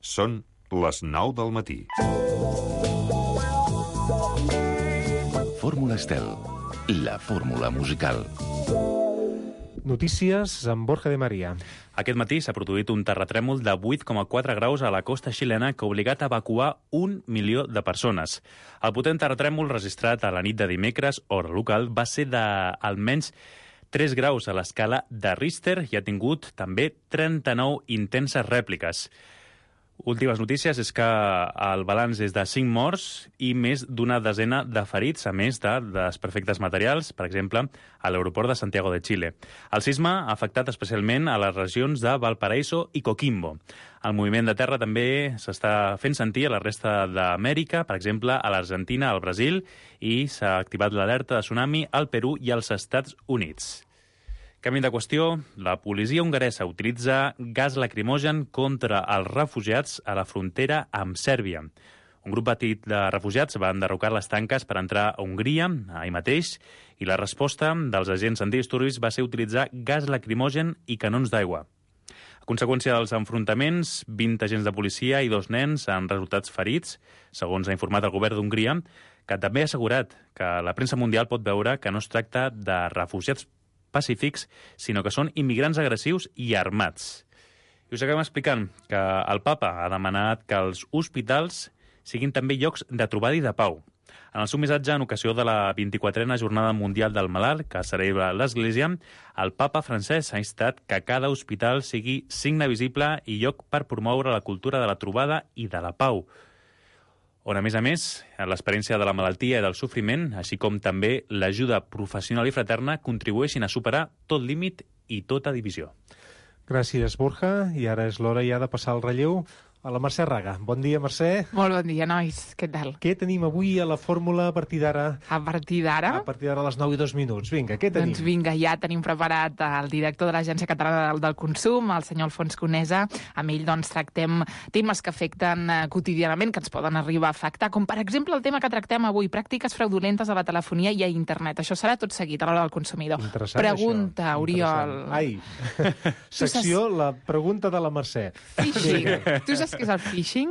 Són les 9 del matí. Fórmula Estel, la fórmula musical. Notícies amb Borja de María. Aquest matí s'ha produït un terratrèmol de 8,4 graus a la costa xilena que ha obligat a evacuar 1 milió de persones. El potent terratrèmol registrat a la nit de dimecres, hora local, va ser d'almenys 3 graus a l'escala de Richter i ha tingut també 39 intenses rèpliques. Últimes notícies és que el balanç és de 5 morts i més d'una desena de ferits, a més de desperfectes materials, per exemple, a l'aeroport de Santiago de Chile. El sisme ha afectat especialment a les regions de Valparaíso i Coquimbo. El moviment de terra també s'està fent sentir a la resta d'Amèrica, per exemple, a l'Argentina, al Brasil, i s'ha activat l'alerta de tsunami al Perú i als Estats Units. Canvi de qüestió, la policia hongaresa utilitza gas lacrimogen contra els refugiats a la frontera amb Sèrbia. Un grup petit de refugiats va enderrocar les tanques per entrar a Hongria, ahir mateix, i la resposta dels agents antidisturbis va ser utilitzar gas lacrimogen i canons d'aigua. A conseqüència dels enfrontaments, 20 agents de policia i 2 nens han resultat ferits, segons ha informat el govern d'Hongria, que també ha assegurat que la premsa mundial pot veure que no es tracta de refugiats pacífics, sinó que són immigrants agressius i armats. I us acabem explicant que el papa ha demanat que els hospitals siguin també llocs de trobada i de pau. En el seu missatge en ocasió de la 24a Jornada Mundial del Malalt, que celebra l'Església, el papa francès ha instat que cada hospital sigui signe visible i lloc per promoure la cultura de la trobada i de la pau, on, a més, l'experiència de la malaltia i del sofriment, així com també l'ajuda professional i fraterna, contribueixin a superar tot límit i tota divisió. Gràcies, Borja. I ara és l'hora ja de passar el relleu a la Mercè Raga. Bon dia, Mercè. Molt bon dia, nois. Què tal? Què tenim avui a la fórmula a partir d'ara? A partir d'ara? A partir d'ara a les 9:02. Vinga, què tenim? Doncs vinga, ja tenim preparat el director de l'Agència Catalana del Consum, el senyor Alfons Conesa. Amb ell doncs tractem temes que afecten quotidianament, que ens poden arribar a afectar, com per exemple el tema que tractem avui, pràctiques fraudulentes a la telefonia i a internet. Això serà tot seguit a l'hora del consumidor. Interessant, pregunta, això. Oriol. Ai, secció, la pregunta de la Mercè. Phishing. Tu saps què és el phishing?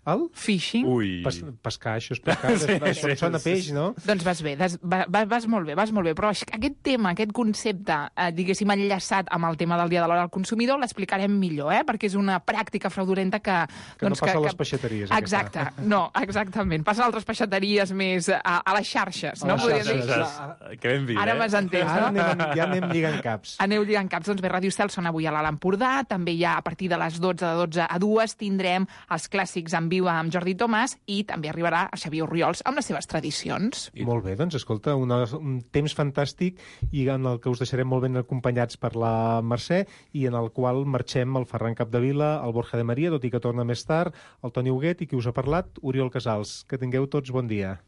El? Phishing. Ui. Pescar, això és pescar. Això sona peix, no? Doncs vas bé, vas molt bé, però aquest tema, aquest concepte, diguéssim, enllaçat amb el tema del dia de l'hora del consumidor, l'explicarem millor, perquè és una pràctica fraudulenta que no passa a les peixateries. Exacte, no, exactament. Passa a altres peixateries més a les xarxes, no? Que ben vist, Ara m'has entès, no? Ara ja anem lligant caps. Aneu lligant caps. Doncs bé, Ràdio Estel sona avui a l'Alt Empordà, també ja a partir de les 12, de 12 a 2, tindrem els clàssics en viu amb Jordi Tomàs i també arribarà a Xavier Orriols amb les seves tradicions. Molt bé, doncs escolta, un temps fantàstic i en el que us deixarem molt ben acompanyats per la Mercè i en el qual marxem el Ferran Capdevila, el Borja de María, tot i que torna més tard, el Toni Huguet i qui us ha parlat, Oriol Casals. Que tingueu tots bon dia.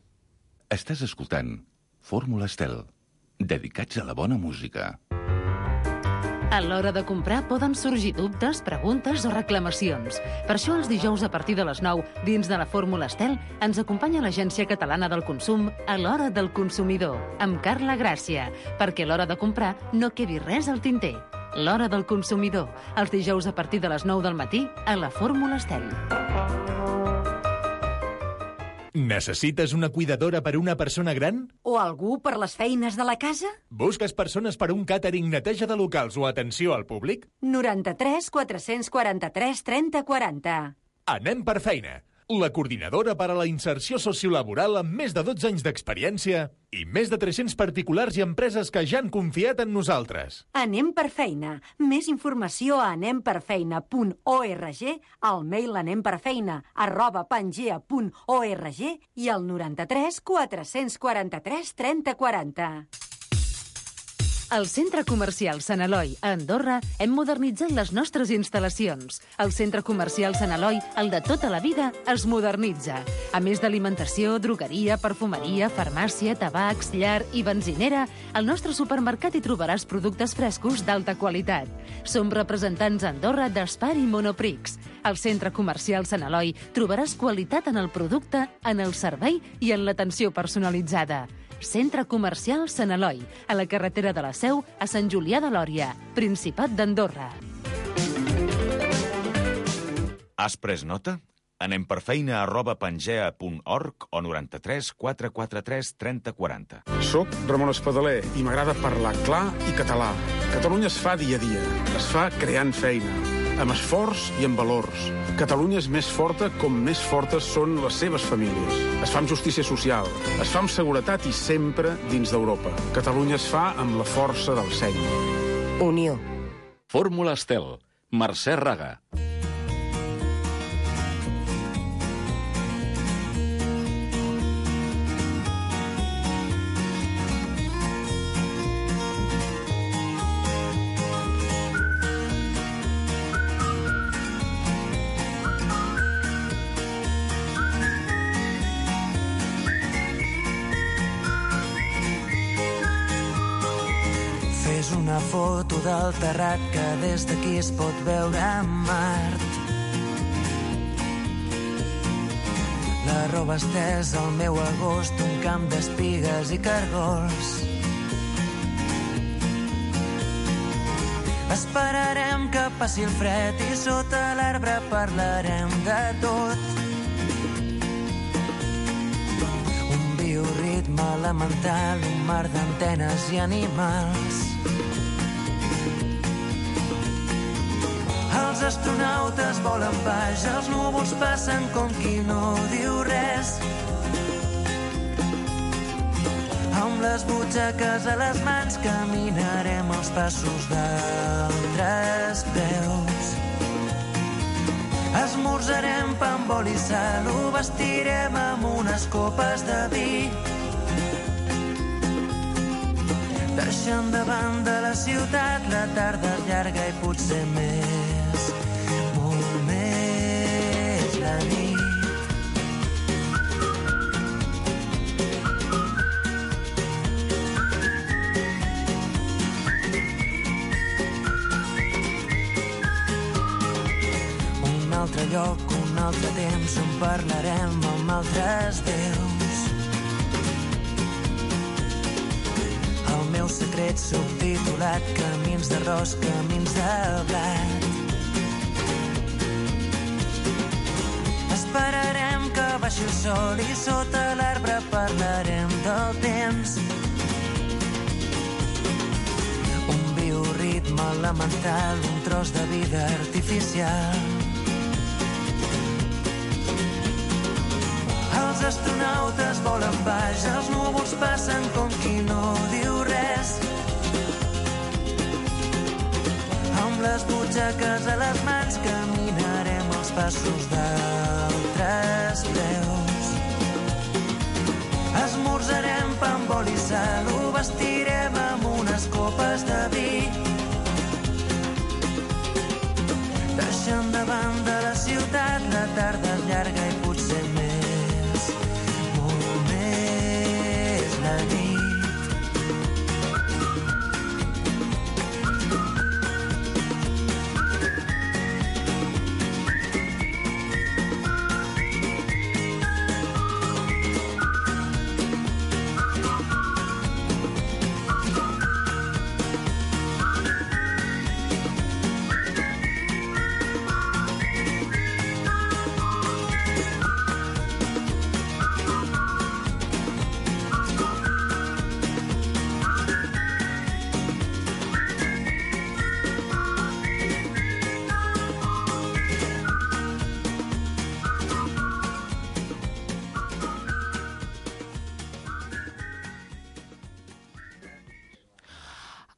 Estàs escoltant Fórmula Estel, dedicats a la bona música. A l'hora de comprar poden sorgir dubtes, preguntes o reclamacions. Per això els dijous a partir de les 9, dins de la Fórmula Estel, ens acompanya l'Agència Catalana del Consum a l'hora del consumidor, amb Carla Gràcia, perquè a l'hora de comprar no quedi res al tinter. L'hora del consumidor, els dijous a partir de les 9 del matí a la Fórmula Estel. Necessites una cuidadora per una persona gran? O algú per les feines de la casa? Busques persones per un càtering, neteja de locals o atenció al públic? 93 443 30 40. Anem per feina. La coordinadora per a la inserció sociolaboral amb més de 12 anys d'experiència i més de 300 particulars i empreses que ja han confiat en nosaltres. Anem per feina. Més informació a anemperfeina.org, al mail anemperfeina@pangea.org i al 93 443 30 40. Al Centre Comercial Sant Eloi, a Andorra, hem modernitzat les nostres instal·lacions. El Centre Comercial Sant Eloi, el de tota la vida, es modernitza. A més d'alimentació, drogueria, perfumeria, farmàcia, tabacs, llar i benzinera, al nostre supermercat hi trobaràs productes frescos d'alta qualitat. Som representants a Andorra d'Espar i Monoprix. Al Centre Comercial Sant Eloi trobaràs qualitat en el producte, en el servei i en l'atenció personalitzada. Centre Comercial Sant Eloi, a la carretera de la Seu, a Sant Julià de Lòria, Principat d'Andorra. Has pres nota? anemperfeina@pangea.org o 93 443 30 40. Soc Ramon Espadaler i m'agrada parlar clar i català. Catalunya es fa dia a dia. Es fa creant feina, amb esforç i amb valors. Catalunya és més forta com més fortes són les seves famílies. Es fa amb justícia social, es fa amb seguretat i sempre dins d'Europa. Catalunya es fa amb la força del seny. Unió. Fórmula Estel. Mercè Raga. Una foto del terrat que des d'aquí es pot veure a Mart. La roba estesa al meu agost, un camp d'espigues i cargols. Esperarem que passi el fred i sota l'arbre parlarem de tot. Un bioritme elemental, un mar d'antenes i animals. Els astronautes volen baix, els núvols passen com qui no diu res. Amb les butxaques a les mans caminarem els passos d'altres peus. Esmorzarem pa amb oli i sal, ho vestirem amb unes copes de vi. Deixant de banda la ciutat, la tarda és llarga i potser més, molt més la nit. Un altre lloc, un altre temps, on parlarem amb altres déus. El meu secret subtitulat, camins d'arròs, camins de blat. Esperarem que baixi el sol i sota l'arbre parlarem del temps. Un bioritme elemental, un tros de vida artificial. Els astronautes volen baix, els núvols passen com qui no diu res. Amb les butxaques a les mans caminarem els passos d'altres peus. Esmorzarem pa amb oli i sal, ho vestirem amb unes copes de vi. Deixant de banda la ciutat, la tarda és llarga i potser més, molt més la nit.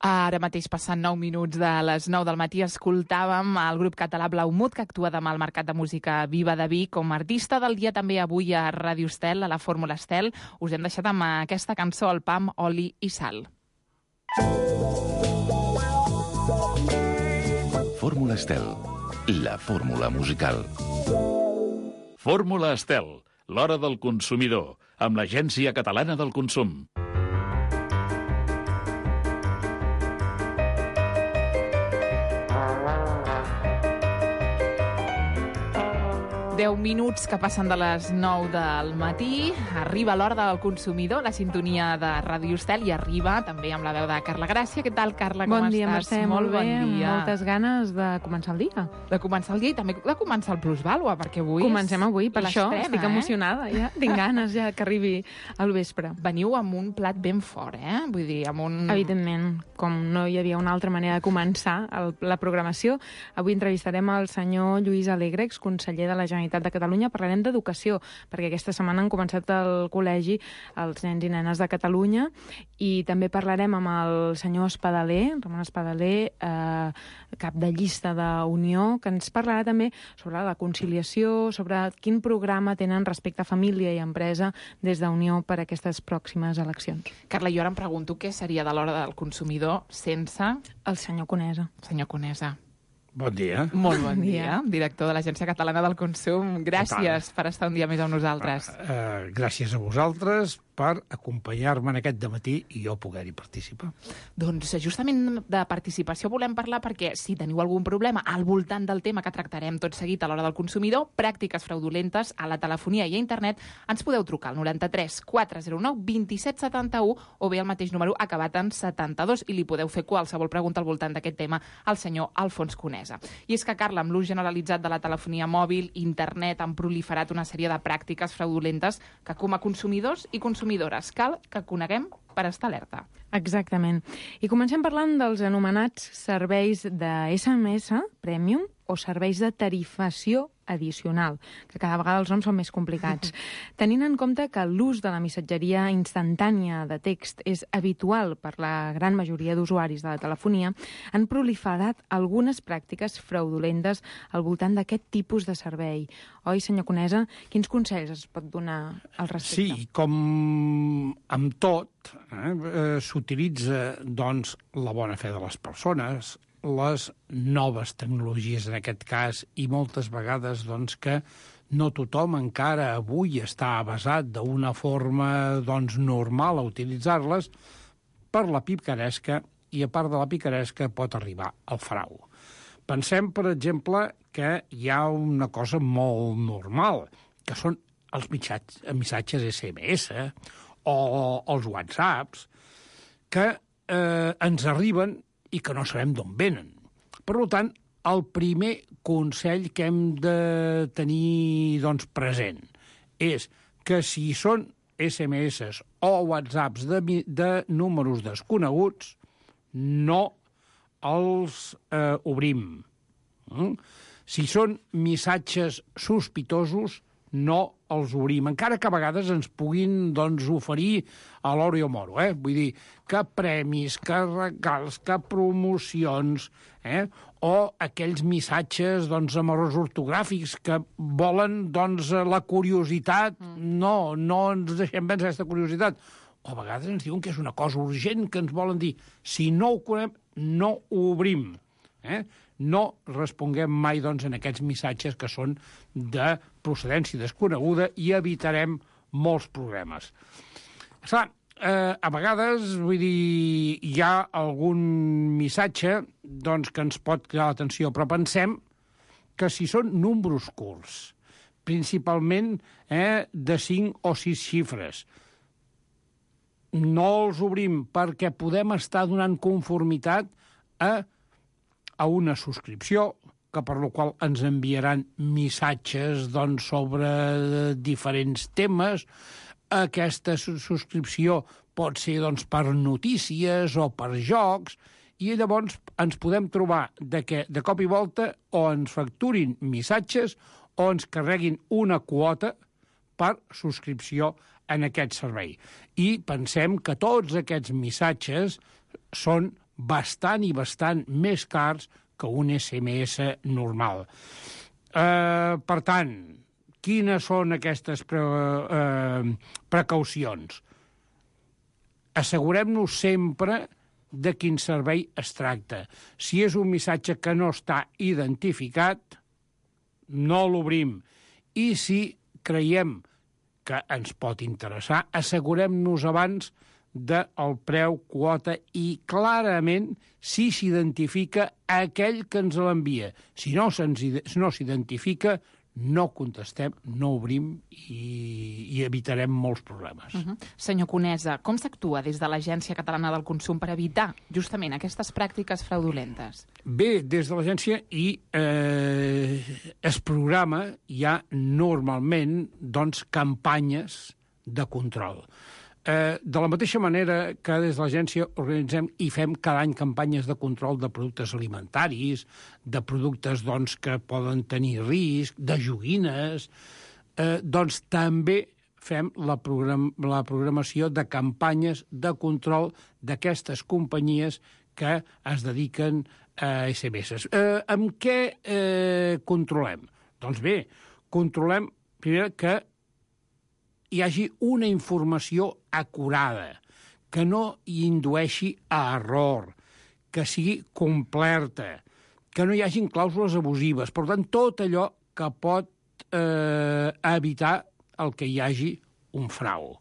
Ara mateix passant 9 minuts de les 9 del matí escoltàvem el grup català Blaumut, que actua demà al Mercat de Música Viva de Vic com a artista del dia també avui a Ràdio Estel, a la Fórmula Estel. Us hem deixat amb aquesta cançó, el pa amb oli i sal. Fórmula Estel, la fórmula musical. Fórmula Estel, l'hora del consumidor, amb l'Agència Catalana del Consum. 10 minuts que passen de les 9 del matí. Arriba l'hora del consumidor, la sintonia de Ràdio Estel, i arriba també amb la veu de Carla Gràcia. Què tal, Carla? Com Bon dia, estàs? Mercè, molt bé. bon dia. Moltes ganes de començar el dia. De començar el dia i també de començar el Plusvàlua, perquè avui Comencem avui, per això estic emocionada. Ja tinc ganes ja que arribi al vespre. Veniu amb un plat ben fort, Vull dir, amb un... Evidentment, com no hi havia una altra manera de començar la programació, avui entrevistarem el senyor Lluís Alegre, exconseller de la Generalitat de Catalunya. Parlarem d'educació, perquè aquesta setmana han començat al col·legi els nens i nenes de Catalunya, i també parlarem amb el senyor Espadaler, Ramon Espadaler, cap de llista d'Unió, que ens parlarà també sobre la conciliació, sobre quin programa tenen respecte a família i empresa des d'Unió per a aquestes pròximes eleccions. Carla, jo ara em pregunto què seria de l'hora del consumidor sense... El senyor Conesa. Senyor Conesa. Bon dia. Molt bon dia. Director de l'Agència Catalana del Consum. Gràcies per estar un dia més amb nosaltres. Gràcies a vosaltres per acompanyar-me en aquest dematí i jo poder-hi participar. Doncs justament de participació volem parlar perquè si teniu algun problema al voltant del tema que tractarem tot seguit a l'hora del consumidor, pràctiques fraudulentes a la telefonia i a internet, ens podeu trucar al 93 409 27 71 o bé el mateix número acabat en 72 i li podeu fer qualsevol pregunta al voltant d'aquest tema al senyor Alfons Conesa. I és que, Carla, amb l'ús generalitzat de la telefonia mòbil, internet, han proliferat una sèrie de pràctiques fraudulentes que com a consumidors i consumidores cal que coneguem per estar alerta. Exactament. I comencem parlant dels anomenats serveis de SMS Premium o serveis de tarifació addicional, que cada vegada els noms són més complicats. Tenint en compte que l'ús de la missatgeria instantània de text és habitual per la gran majoria d'usuaris de la telefonia, han proliferat algunes pràctiques fraudulentes al voltant d'aquest tipus de servei. Oi, senyor Conesa? Quins consells es pot donar al respecte? Sí, com amb tot, s'utilitza doncs, la bona fe de les persones, les noves tecnologies en aquest cas, i moltes vegades doncs, que no tothom encara avui està basat d'una forma doncs, normal a utilitzar-les, per la picaresca, i a part de la picaresca pot arribar al frau. Pensem, per exemple, que hi ha una cosa molt normal, que són els missatges SMS o els WhatsApps, que ens arriben i que no sabem d'on venen. Per tant, el primer consell que hem de tenir doncs, present és que si són SMS o WhatsApps de números desconeguts, no els obrim. Si són missatges sospitosos, no els obrim, encara que a vegades ens puguin doncs, oferir a l'oro i a moro. Vull dir, que premis, que regals, que promocions, o aquells missatges doncs, amb errors ortogràfics que volen doncs, la curiositat. No ens deixem vèncer aquesta curiositat. O a vegades ens diuen que és una cosa urgent que ens volen dir. Si no ho conem, no ho obrim. No responguem mai doncs, en aquests missatges que són de procedència desconeguda i evitarem molts problemes. Clar, a vegades, vull dir, hi ha algun missatge doncs, que ens pot cridar l'atenció, però pensem que si són números curts, principalment de 5 o 6 xifres, no els obrim perquè podem estar donant conformitat a una subscripció, que per la qual ens enviaran missatges doncs, sobre diferents temes. Aquesta subscripció pot ser doncs, per notícies o per jocs, i llavors ens podem trobar que de cop i volta o ens facturin missatges o ens carreguin una quota per subscripció en aquest servei. I pensem que tots aquests missatges són bastant i bastant més cars que un SMS normal. Per tant, quines són aquestes precaucions? Assegurem-nos sempre de quin servei es tracta. Si és un missatge que no està identificat, no l'obrim. I si creiem que ens pot interessar, assegurem-nos abans del preu quota i clarament si s'identifica aquell que ens l'envia. Si no s'identifica, no contestem, no obrim i evitarem molts problemes. Senyor Conesa, com s'actua des de l'Agència Catalana del Consum per evitar justament aquestes pràctiques fraudulentes? Bé, des de l'agència es programa ja normalment campanyes de control. De la mateixa manera que des de l'agència organitzem i fem cada any campanyes de control de productes alimentaris, de productes que poden tenir risc, de joguines, també fem la programació de campanyes de control d'aquestes companyies que es dediquen a SMS. Amb què controlem? Doncs bé, controlem primer que hi hagi una informació acurada, que no hi indueixi a error, que sigui completa, que no hi hagin clàusules abusives. Per tant, tot allò que pot evitar el que hi hagi un frau.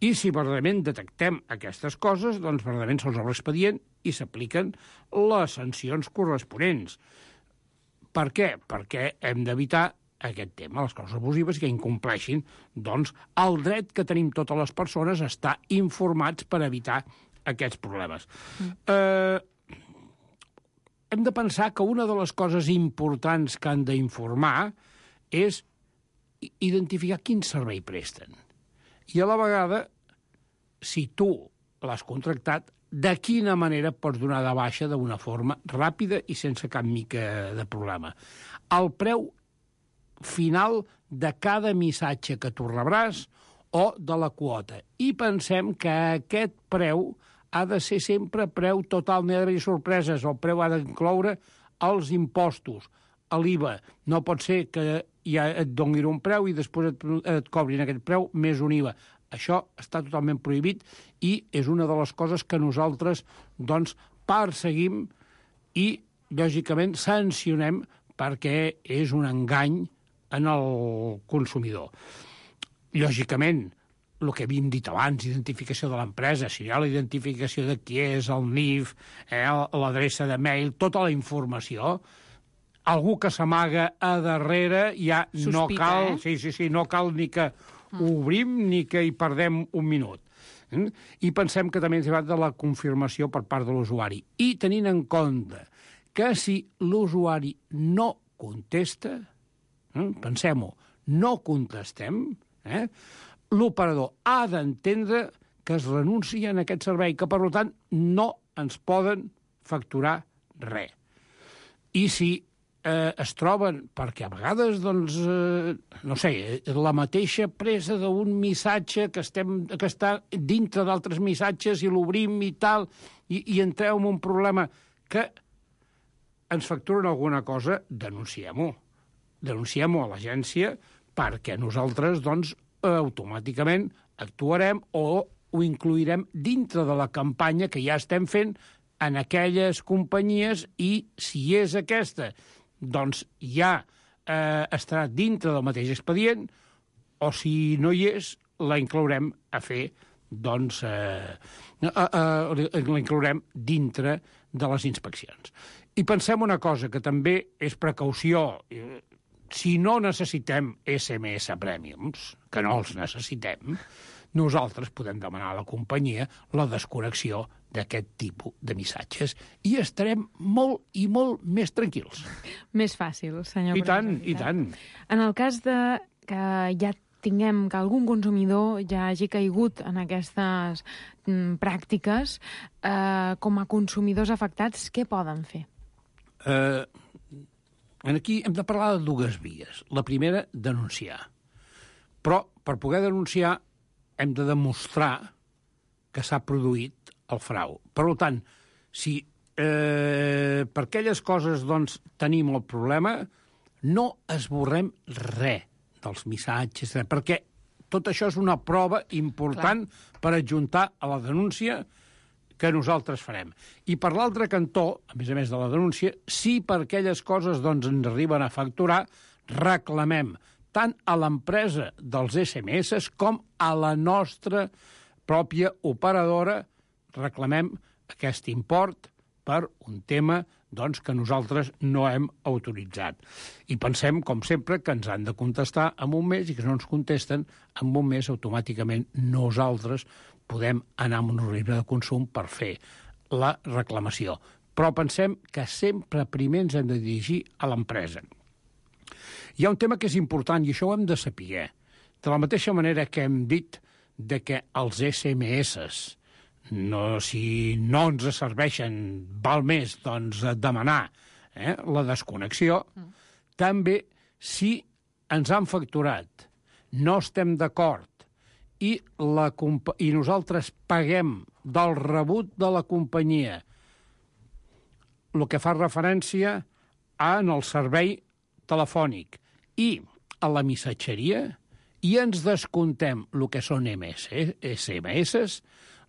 I si verdaderament detectem aquestes coses, doncs verdaderament se'ls obre expedient i s'apliquen les sancions corresponents. Per què? Perquè hem d'evitar aquest tema, les causes abusives, que incompleixin el dret que tenim totes les persones a estar informats per evitar aquests problemes. Hem de pensar que una de les coses importants que han d'informar és identificar quin servei presten. I a la vegada, si tu l'has contractat, de quina manera pots donar de baixa d'una forma ràpida i sense cap mica de problema. El preu final de cada missatge que tu rebràs o de la quota. I pensem que aquest preu ha de ser sempre preu total, no hi ha d'haver sorpreses. El preu ha d'incloure els impostos, l'IVA. No pot ser que ja et donin un preu i després et cobrin aquest preu més un IVA. Això està totalment prohibit i és una de les coses que nosaltres perseguim i, lògicament, sancionem perquè és un engany en el consumidor. Lògicament, el que havíem dit abans, identificació de l'empresa, si hi ha la identificació de qui és, el NIF, l'adreça de mail, tota la informació, algú que s'amaga a darrere ja no cal... no cal ni que obrim ni que hi perdem un minut. I pensem que també ens ha de la confirmació per part de l'usuari. I tenint en compte que si l'usuari no contesta, pensem-ho, no contestem, l'operador ha d'entendre que es renuncia a aquest servei, que, per tant, no ens poden facturar res. I si es troben, perquè a vegades, la mateixa presa d'un missatge que està dintre d'altres missatges i l'obrim i tal, i entreu en un problema que ens facturen alguna cosa, denunciem-ho. Denunciem-ho a l'agència perquè nosaltres, automàticament actuarem o ho incluirem dintre de la campanya que ja estem fent en aquelles companyies i, si és aquesta, ja estarà dintre del mateix expedient o, si no hi és, la inclourem a fer, la inclourem dintre de les inspeccions. I pensem una cosa, que també és precaució. Si no necessitem SMS Premiums, que no els necessitem, nosaltres podem demanar a la companyia la desconnexió d'aquest tipus de missatges i estarem molt i molt més tranquils. Més fàcil, senyor. I tant, i tant. En el cas de que ja tinguem que algun consumidor ja hagi caigut en aquestes pràctiques, com a consumidors afectats, què poden fer? Aquí hem de parlar de dues vies. La primera, denunciar. Però per poder denunciar hem de demostrar que s'ha produït el frau. Per tant, si per aquelles coses tenim el problema, no esborrem res dels missatges, perquè tot això és una prova important per adjuntar a la denúncia que nosaltres farem. I per l'altre cantó, a més de la denúncia, si per aquelles coses ens arriben a facturar, reclamem tant a l'empresa dels SMS com a la nostra pròpia operadora, reclamem aquest import per un tema doncs, que nosaltres no hem autoritzat. I pensem, com sempre, que ens han de contestar en un mes i que si no ens contesten, en un mes automàticament nosaltres podem anar amb un organisme de consum per fer la reclamació. Però pensem que sempre primer ens hem de dirigir a l'empresa. Hi ha un tema que és important i això ho hem de saber. De la mateixa manera que hem dit de que els SMS, si no ens serveixen, val més doncs, demanar la desconnexió, també si ens han facturat, no estem d'acord, i nosaltres paguem del rebut de la companyia el que fa referència en el servei telefònic i a la missatgeria, i ens descontem el que són SMS,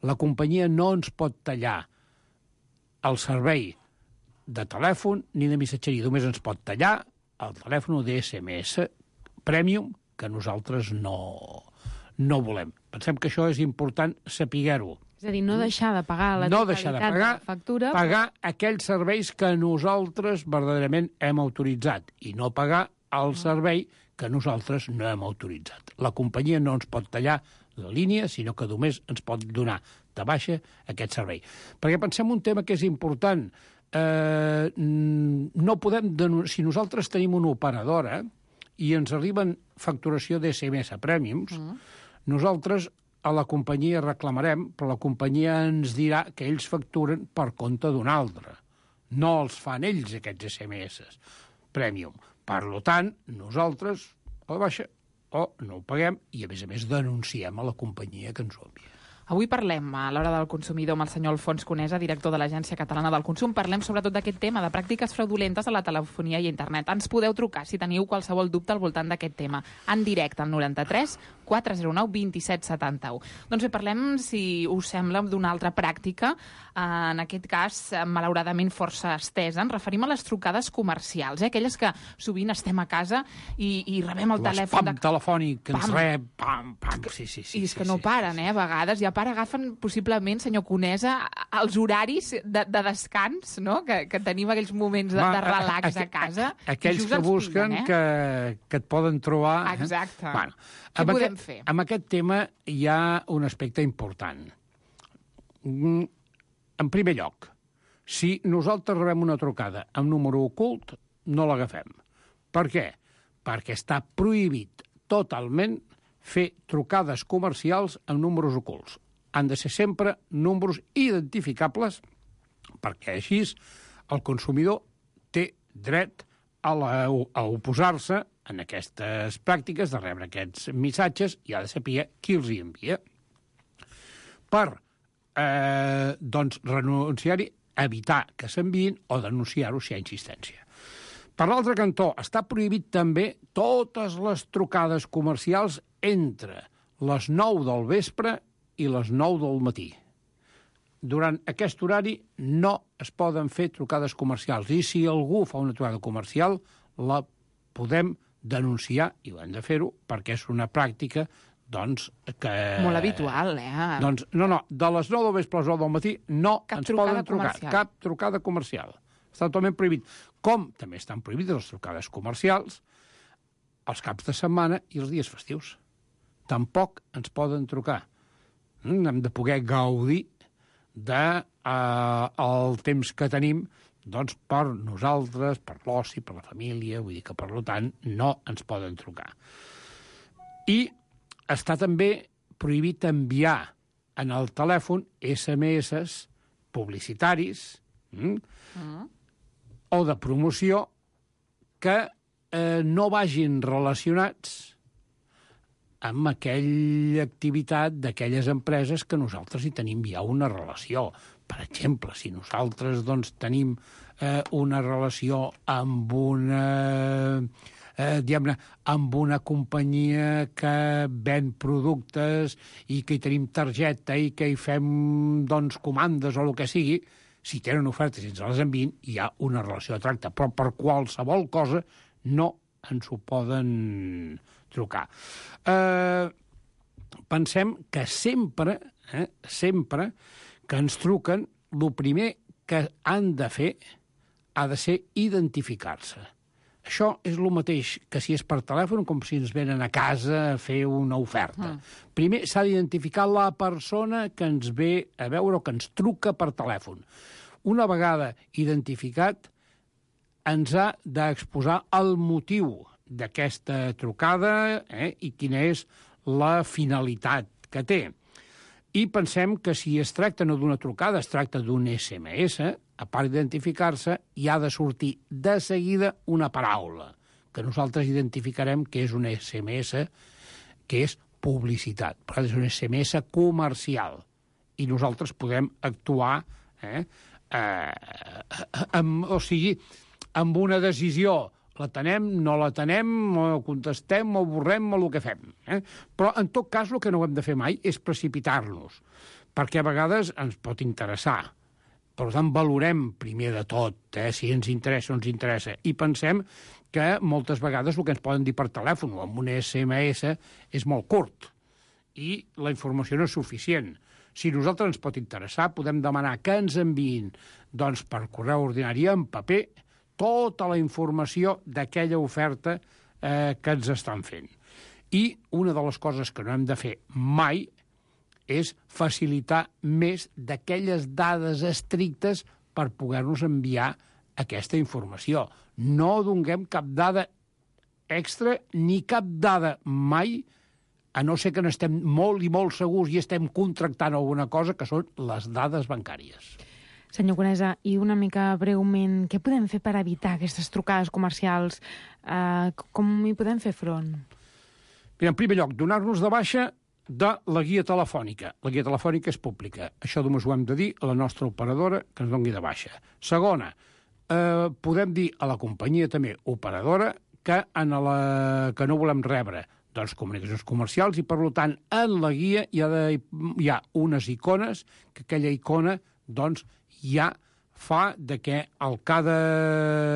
la companyia no ens pot tallar el servei de telèfon ni de missatgeria. Només ens pot tallar el telèfon de SMS Premium, que nosaltres no volem. Pensem que això és important saber-ho. És a dir, no deixar de pagar la totalitat de la factura. Pagar aquells serveis que nosaltres verdaderament hem autoritzat i no pagar el servei que nosaltres no hem autoritzat. La companyia no ens pot tallar la línia, sinó que només ens pot donar de baixa aquest servei. Perquè pensem un tema que és important. No podem si nosaltres tenim una operadora i ens arriben facturació d'SMS Premiums, nosaltres a la companyia reclamarem, però la companyia ens dirà que ells facturen per compte d'un altre. No els fan ells, aquests SMS Premium. Per tant, nosaltres a la baixa o no ho paguem i, a més, denunciem a la companyia que ens ho envia. Avui parlem a l'Hora del Consumidor amb el senyor Alfons Conesa, director de l'Agència Catalana del Consum. Parlem sobretot d'aquest tema, de pràctiques fraudulentes a la telefonia i internet. Ens podeu trucar si teniu qualsevol dubte al voltant d'aquest tema. En directe al 93 409 27 71. Doncs bé, parlem, si us sembla, d'una altra pràctica, en aquest cas, malauradament força estesa. Ens referim a les trucades comercials, aquelles que sovint estem a casa i rebem el telèfon... L'espam telefònic que ens rep, pam, pam, sí. I és que no paren, a vegades, i a part agafen possiblement, senyor Conesa, els horaris de descans, no?, que tenim aquells moments de relax a casa. Aquells que busquen que et poden trobar... Exacte. Bueno, què podem fer? Amb aquest tema hi ha un aspecte important. En primer lloc, si nosaltres rebem una trucada amb número ocult, no l'agafem. Per què? Perquè està prohibit totalment fer trucades comercials amb números ocults. Han de ser sempre números identificables perquè així el consumidor té dret a oposar-se en aquestes pràctiques de rebre aquests missatges i ha de saber qui els hi envia. Per renunciar-hi, evitar que s'enviïn o denunciar-ho si hi ha insistència. Per l'altre cantó, està prohibit també totes les trucades comercials entre les 9 del vespre i les 9 del matí. Durant aquest horari no es poden fer trucades comercials i si algú fa una trucada comercial la podem denunciar i ho hem de fer-ho perquè és una pràctica que... Molt habitual, Doncs no, de les 9 del vespre a les 9 del matí no ens poden trucar. Cap trucada comercial. Està totalment prohibit. Com també estan prohibides les trucades comercials els caps de setmana i els dies festius. Tampoc ens poden trucar. Hem de poder gaudir del temps que tenim per nosaltres, per l'oci, per la família, vull dir que, per tant, no ens poden trucar. I està també prohibit enviar en el telèfon SMS publicitaris o de promoció que no vagin relacionats amb aquella activitat d'aquelles empreses que nosaltres hi tenim ja una relació. Per exemple, si nosaltres tenim una relació amb una companyia que ven productes i que hi tenim targeta i que hi fem comandes o el que sigui, si tenen ofertes i ens les envien, hi ha una relació de tracte. Però per qualsevol cosa no ens ho poden trucar. Pensem que sempre que ens truquen, el primer que han de fer ha de ser identificar-se. Això és el mateix que si és per telèfon, com si ens venen a casa a fer una oferta. Primer s'ha d'identificar la persona que ens ve a veure o que ens truca per telèfon. Una vegada identificat, ens ha d'exposar el motiu d'aquesta trucada i quina és la finalitat que té. I pensem que si es tracta no d'una trucada, es tracta d'un SMS, a part d'identificar-se, hi ha de sortir de seguida una paraula, que nosaltres identificarem que és un SMS, que és publicitat. Per tant, és un SMS comercial. I nosaltres podem actuar amb una decisió. La tenem, no la tenem, o contestem, o borrem, o el que fem. Però, en tot cas, el que no hem de fer mai és precipitar-nos, perquè a vegades ens pot interessar. Per tant, valorem primer de tot, si ens interessa o ens interessa, i pensem que moltes vegades el que ens poden dir per telèfon o amb un SMS és molt curt, i la informació no és suficient. Si a nosaltres ens pot interessar, podem demanar que ens enviïn per correu ordinari en paper tota la informació d'aquella oferta que ens estan fent. I una de les coses que no hem de fer mai és facilitar més d'aquelles dades estrictes per poder-nos enviar aquesta informació. No donem cap dada extra ni cap dada mai, a no ser que n'estem molt i molt segurs i estem contractant alguna cosa, que són les dades bancàries. Senyor Conesa, i una mica breument, què podem fer per evitar aquestes trucades comercials? Com hi podem fer front? Mira, en primer lloc, donar-nos de baixa de la guia telefònica. La guia telefònica és pública. Això només ho hem de dir a la nostra operadora que ens doni de baixa. Segona, podem dir a la companyia també operadora que no volem rebre comunicacions comercials i, per tant, en la guia hi ha unes icones que aquella icona ja fa que el que ha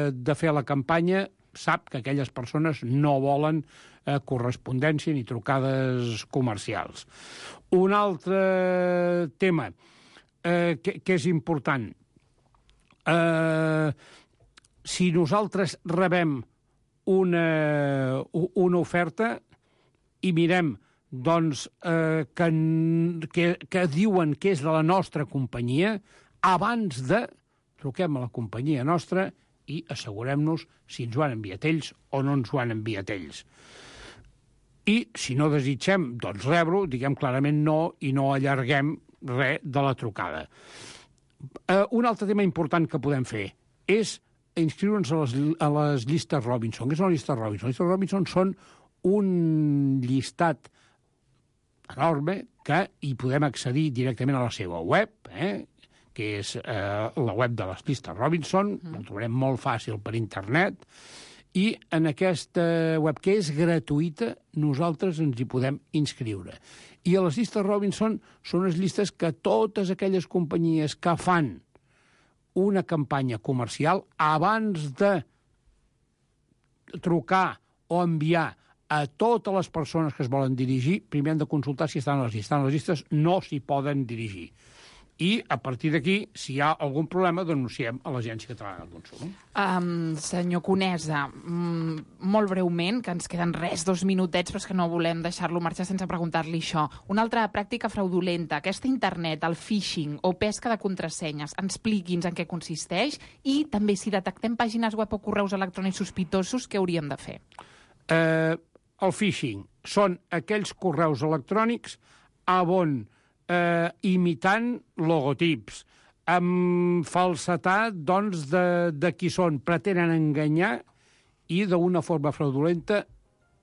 de fer la campanya sap que aquelles persones no volen correspondència ni trucades comercials. Un altre tema que és important. Si nosaltres rebem una oferta i mirem que diuen que és de la nostra companyia, abans truquem a la companyia nostra i assegurem-nos si ens ho han enviat ells o no ens ho han enviat ells. I si no desitgem rebre-ho, diguem clarament no i no allarguem res de la trucada. Un altre tema important que podem fer és inscriure'ns a les llistes Robinson. Què són les llistes Robinson? Les llistes Robinson són un llistat enorme que hi podem accedir directament a la seva web, que és la web de les llistes Robinson, ho trobarem molt fàcil per internet, i en aquesta web, que és gratuïta, nosaltres ens hi podem inscriure. I a les llistes Robinson són les llistes que totes aquelles companyies que fan una campanya comercial, abans de trucar o enviar a totes les persones que es volen dirigir, primer han de consultar si estan a les llistes. Estan a les llistes, no s'hi poden dirigir. I, a partir d'aquí, si hi ha algun problema, denunciem a l'Agència Catalana del Consum. Senyor Conesa, molt breument, que ens queden 2 minutets, però és que no volem deixar-lo marxar sense preguntar-li això. Una altra pràctica fraudulenta, aquesta internet, el phishing o pesca de contrasenyes, expliqui'ns en què consisteix i també si detectem pàgines web o correus electrònics sospitosos, què hauríem de fer? El phishing són aquells correus electrònics on imitant logotips, amb falsetat de qui són, pretenen enganyar i d'una forma fraudulenta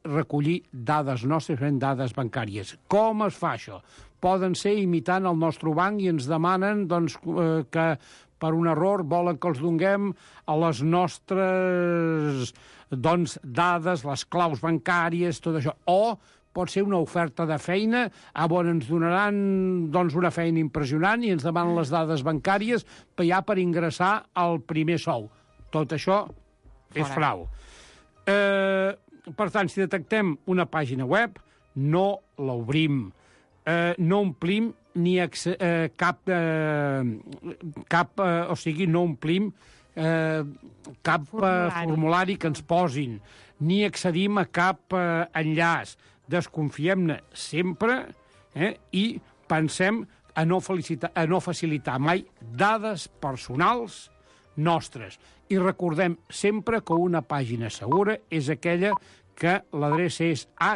recollir dades nostres, dades bancàries. Com es fa això? Poden ser imitant el nostre banc i ens demanen que per un error volen que els donem a les nostres dades, les claus bancàries, tot això. O pot ser una oferta de feina on ens donaran una feina impressionant i ens demanen les dades bancàries per ingressar al primer sou. Tot això és frau. Per tant, si detectem una pàgina web, no l'obrim, no omplim no omplim cap formulari que ens posin, ni accedim a cap enllaç. Desconfiem-ne sempre i pensem a no facilitar mai dades personals nostres. I recordem sempre que una pàgina segura és aquella que l'adreça és https://